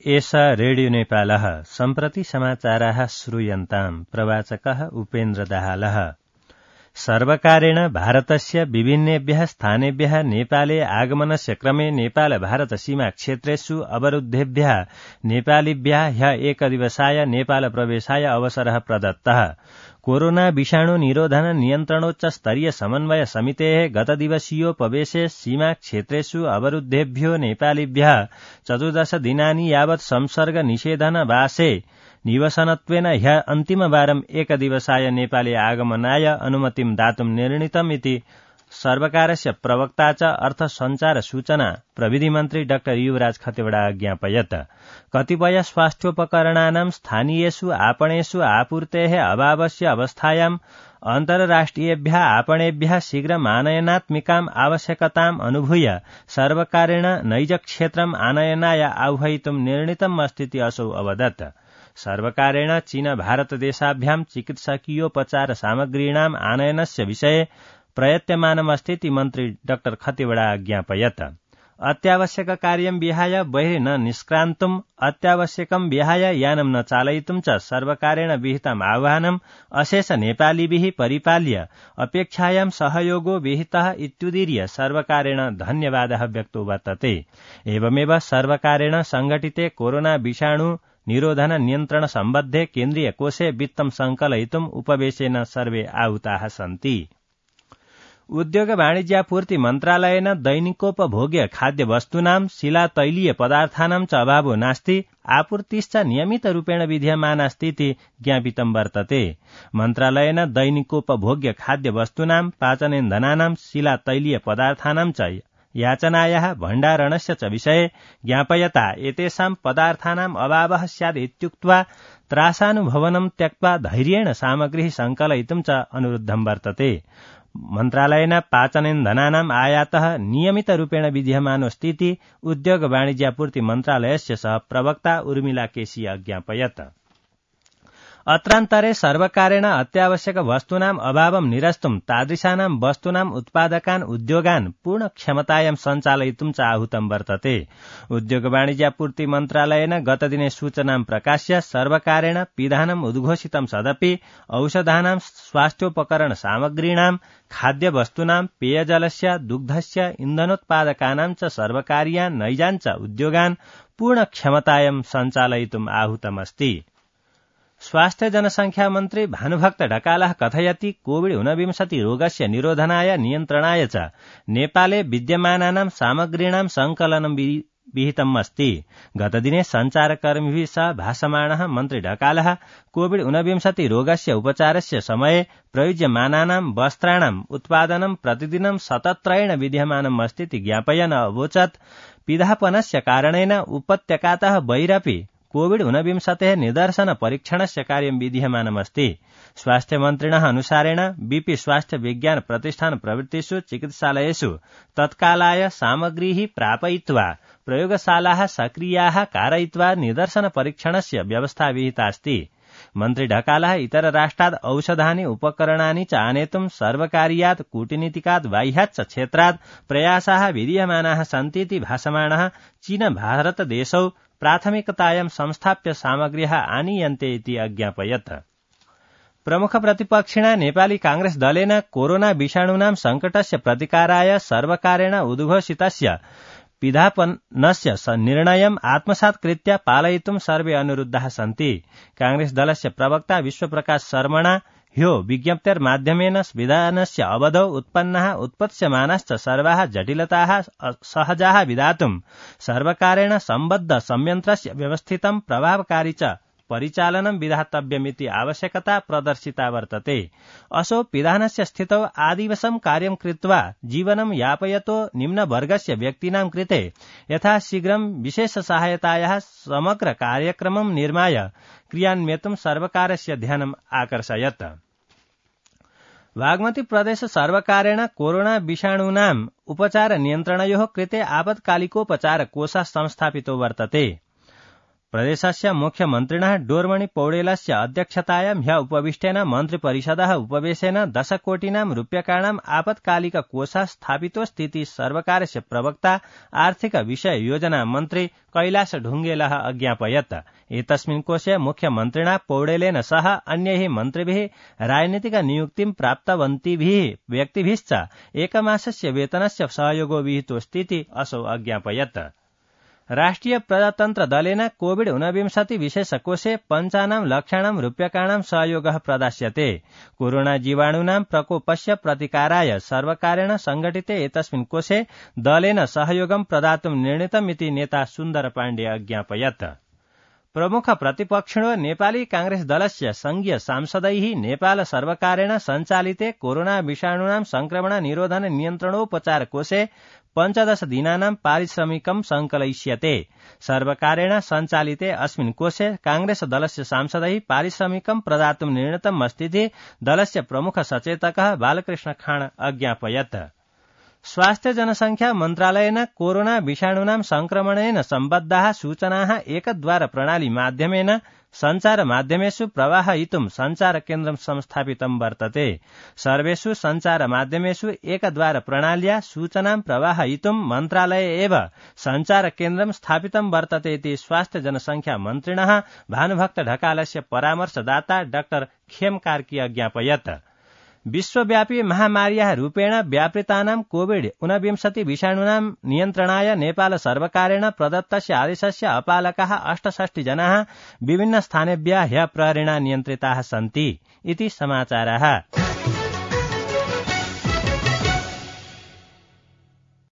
एष रेडियो नेपालः सम्प्रति समाचाराः श्रूयन्ताम् प्रवाचकः उपेन्द्र दाहालः। सर्वकारेण भारतस्य विभिन्नेभ्यः स्थानेभ्यः नेपाले आगमनस्य क्रमे नेपाल भारत सीमा क्षेत्रेषु अवरुद्धेभ्यः नेपालीभ्यः ह्यः एकदिवसाय नेपाल प्रवेशाय अवसरः प्रदत्तः। कोरोना विषाणु निरोधन नियन्त्रणोच्च स्तरीय समन्वय समितेः गतदिवसीयोपवेशे सीमा क्षेत्रेषु अवरुद्धेभ्यो नेपालीभ्यः 14 दिनानि यावत् संसर्ग निषेधन वासे निवसनत्वेन ह्यः अन्तिमवारम् एकदिवसाय नेपाले आगमनाय अनुमतिं दातुं निर्णीतम् इति सर्वकारस्य प्रवक्ता च अर्थ संचार सूचना प्रविधि मन्त्री डाक्टर युवराज खतिवड़ा ज्ञापयत्। कतिपय स्वास्थ्योपकरणानां स्थानीयेषु आपणेषु आपूर्तेः अभावस्य अवस्थायाम् अन्तर्राष्ट्रियेभ्यः आपणेभ्यः शीघ्रम् आनयनात्मिकाम् आवश्यकताम् अनुभूय सर्वकारेण नैजक्षेत्रम् आनयनाय आह्वयितुं निर्णीतम् अस्तीति असौ अवदत्। सर्वकारेण चीन भारतदेशाभ्याम् चिकित्सकीयोपचार सामग्रीणाम् आनयनस्य विषये प्रयत्यमानमस्तीति मन्त्री डाक्टर खतिवड़ा ज्ञापयत्। अत्यावश्यक कार्यं विहाय बहिः न निष्क्रान्तुम् अत्यावश्यकं विहाय यानं न चालयितुं च सर्वकारेण विहितम् आह्वानम् अशेष नेपालीभिः परिपाल्य अपेक्षायां सहयोगो विहितः इत्युदीर्य सर्वकारेण धन्यवादः व्यक्तो वर्तते। एवमेव सर्वकारेण संघटिते कोरोना विषाणु निरोधन नियन्त्रण सम्बद्धे केन्द्रीय कोषे वित्तं संकलयितुम् उपवेशेन सर्वे आहुताः सन्ति। उद्योग वाणिज्यापूर्ति मन्त्रालयेन दैनिकोपभोग्य खाद्य वस्तूनां शिलातैलीय पदार्थानां च अभावो नास्ति आपूर्तिश्च नियमितरूपेण विद्यमानास्तीति ज्ञापितं वर्तते। मन्त्रालयेन दैनिकोपभोग्य खाद्य वस्तूनां पाचनेन्धनानां शिलातैलीय पदार्थानां च याचनायाः भण्डारणस्य च विषये ज्ञापयता एतेषां पदार्थानाम् अभावः स्यात् इत्युक्त्वा त्रासानुभवनं त्यक्त्वा धैर्येण सामग्रीः संकलयितुं च अनुरुद्धं वर्तते। मन्त्रालयेन पाचनेन्धनानाम् आयातः नियमितरूपेण विद्यमानोऽस्तीति उद्योग वाणिज्यापूर्ति मन्त्रालयस्य सह प्रवक्ता उर्मिला केसी ज्ञापयत्। अत्रान्तरे सर्वकारेण अत्यावश्यक वस्तूनाम् अभावं निरस्तुं तादृशानां वस्तूनाम् उत्पादकान् उद्योगान् पूर्ण क्षमतायां सञ्चालयितुं च आहूतं वर्तते। उद्योग वाणिज्यापूर्ति मन्त्रालयेन गतदिने सूचनां प्रकाश्य सर्वकारेण पिधानम् उद्घोषितं सदपि औषधानां स्वास्थ्योपकरण सामग्रीणां खाद्य वस्तूनां पेयजलस्य दुग्धस्य इन्धनोत्पादकानां च सर्वकारीयान् नैजान् च उद्योगान् पूर्ण क्षमतायां सञ्चालयितुम् आहूतमस्ति। स्वास्थ्य जनसंख्या मन्त्री भानुभक्त ढकालः कथयति कोविड-19 रोगस्य निरोधनाय नियन्त्रणाय च नेपाले विद्यमानानां सामग्रीणां संकलनं विहितम् अस्ति। गतदिने सञ्चारकर्मिभिः सह भाषमाणः मन्त्री ढकालः कोविड-19 रोगस्य उपचारस्य समये प्रयुज्यमानानां वस्त्राणाम् उत्पादनं प्रतिदिनं सतत्रयेण विद्यमानम् अस्तीति ज्ञापयन् अवोचत् पिधापनस्य कारणेन उपत्यकातः बहिरपि कोविड-19 निदर्शन परीक्षणस्य कार्यं विद्यमानमस्ति। स्वास्थ्य मन्त्रिणः अनुसारेण बीपी स्वास्थ्य विज्ञान प्रतिष्ठान प्रभृतिषु चिकित्सालयेषु तत्कालाय सामग्रीः प्रापयित्वा प्रयोगशालाः सक्रियाः कारयित्वा निदर्शन परीक्षणस्य व्यवस्था विहिता अस्ति। मन्त्री ढकालः इतर राष्ट्रात् औषधानि उपकरणानि च आनेतुं सर्वकारीयात् कूटनीतिकात् बाह्याच्च क्षेत्रात् प्रयासाः विद्यमानाः सन्तीति भाषमाणः चीन भारत देशौ प्राथमिकतायां संस्थाप्य सामग्र्यः आनीयन्ते इति अज्ञापयत्। प्रमुख प्रतिपक्षिणा नेपाली कांग्रेस दलेन कोरोना विषाणूनां संकटस्य प्रतिकाराय सर्वकारेण उद्घोषितस्य पिधापनस्य निर्णयम् आत्मसात् कृत्य पालयितुं सर्वे अनुरुद्धाः सन्ति। कांग्रेस दलस्य प्रवक्ता विश्वप्रकाश शर्मणा ह्यो विज्ञप्तेर्माध्यमेन विधानस्य अवधौ उत्पन्नाः उत्पत्स्यमानाश्च सर्वाः जटिलताः सहजाः विधातुं सर्वकारेण सम्बद्ध संयन्त्रस्य व्यवस्थितं प्रभावकारी च परिचालनं विधातव्यमिति आवश्यकता प्रदर्शिता वर्तते। असौ पिधानस्य स्थितौ आदिवसं कार्यं कृत्वा जीवनं यापयतो निम्नवर्गस्य व्यक्तीनां कृते यथाशीघ्रं विशेष सहायतायाः समग्र कार्यक्रमं निर्माय क्रियान्वयितुं सर्वकारस्य ध्यानम् आकर्षयत्। बागमती प्रदेश सर्वकारेण कोरोना विषाणूनाम् उपचार नियन्त्रणयोः कृते आपत्कालिकोपचार कोषः संस्थापितो वर्तते। प्रदेशस्य मुख्यमन्त्रिणः डोरमणि पौडेलस्य अध्यक्षतायां ह्य उपविष्टेन मन्त्रिपरिषदः उपवेशेन 10 कोटीनां रूप्यकाणाम् आपत्कालिक कोषः स्थापितोऽस्तीति सर्वकारस्य प्रवक्ता आर्थिक विषय योजना मन्त्री कैलाश ढुङ्गेलः अज्ञापयत्। एतस्मिन् कोषे मुख्यमन्त्रिणा पौडेलेन सह अन्यैः मन्त्रिभिः राजनीतिक नियुक्तिं प्राप्तवन्तिभिः व्यक्तिभिश्च एकमासस्य वेतनस्य सहयोगो विहितोऽस्तीति असौ अज्ञापयत्। राष्ट्रिय प्रजातन्त्र दलेन कोविड-19 विशेषकोषे 55 लक्षाणां रूप्यकाणां सहयोगः प्रदास्यते। कोरोना जीवाणूनां प्रकोपस्य प्रतिकाराय सर्वकारेण संघटिते एतस्मिन् कोषे दलेन सहयोगं प्रदातुं निर्णीतमिति नेता सुन्दर पाण्डे अज्ञापयत्। प्रमुख प्रतिपक्षिणो नेपाली कांग्रेस दलस्य संघीय सांसदैः नेपाल सर्वकारेण सञ्चालिते कोरोना विषाणूनां संक्रमण निरोधन नियन्त्रणोपचार कोषे 15 दिनानां पारिश्रमिकं संकलयिष्यते। सर्वकारेण सञ्चालिते अस्मिन् कोषे कांग्रेस दलस्य सांसदैः पारिश्रमिकं प्रदातुं निर्णीतमस्तीति दलस्य प्रमुख सचेतकः बालकृष्ण खाँड अज्ञापयत्। स्वास्थ्य जनसंख्या मन्त्रालयेन कोरोना विषाणूनां संक्रमणेन सम्बद्धाः सूचनाः एकद्वार प्रणाली माध्यमेन सञ्चार माध्यमेषु प्रवाहयितुं सञ्चार केन्द्रं संस्थापितं वर्तते। सर्वेषु सञ्चार माध्यमेषु एकद्वार प्रणाल्या सूचनां प्रवाहयितुं मन्त्रालये एव सञ्चार केन्द्रं स्थापितं वर्तते इति स्वास्थ्य जनसंख्या मन्त्रिणः भानुभक्त ढकालस्य परामर्शदाता डाक्टर खेम कार्की अज्ञापयत्। विश्वव्यापी महामार्याः रूपेण व्यापृतानां कोविड-19 विषाणूनां नियन्त्रणाय नेपाल सर्वकारेण प्रदत्तस्य आदेशस्य अपालकाः 68 जनाः विभिन्न स्थानेभ्यः ह्यः प्रहरेण नियन्त्रिताः सन्ति इति समाचारः।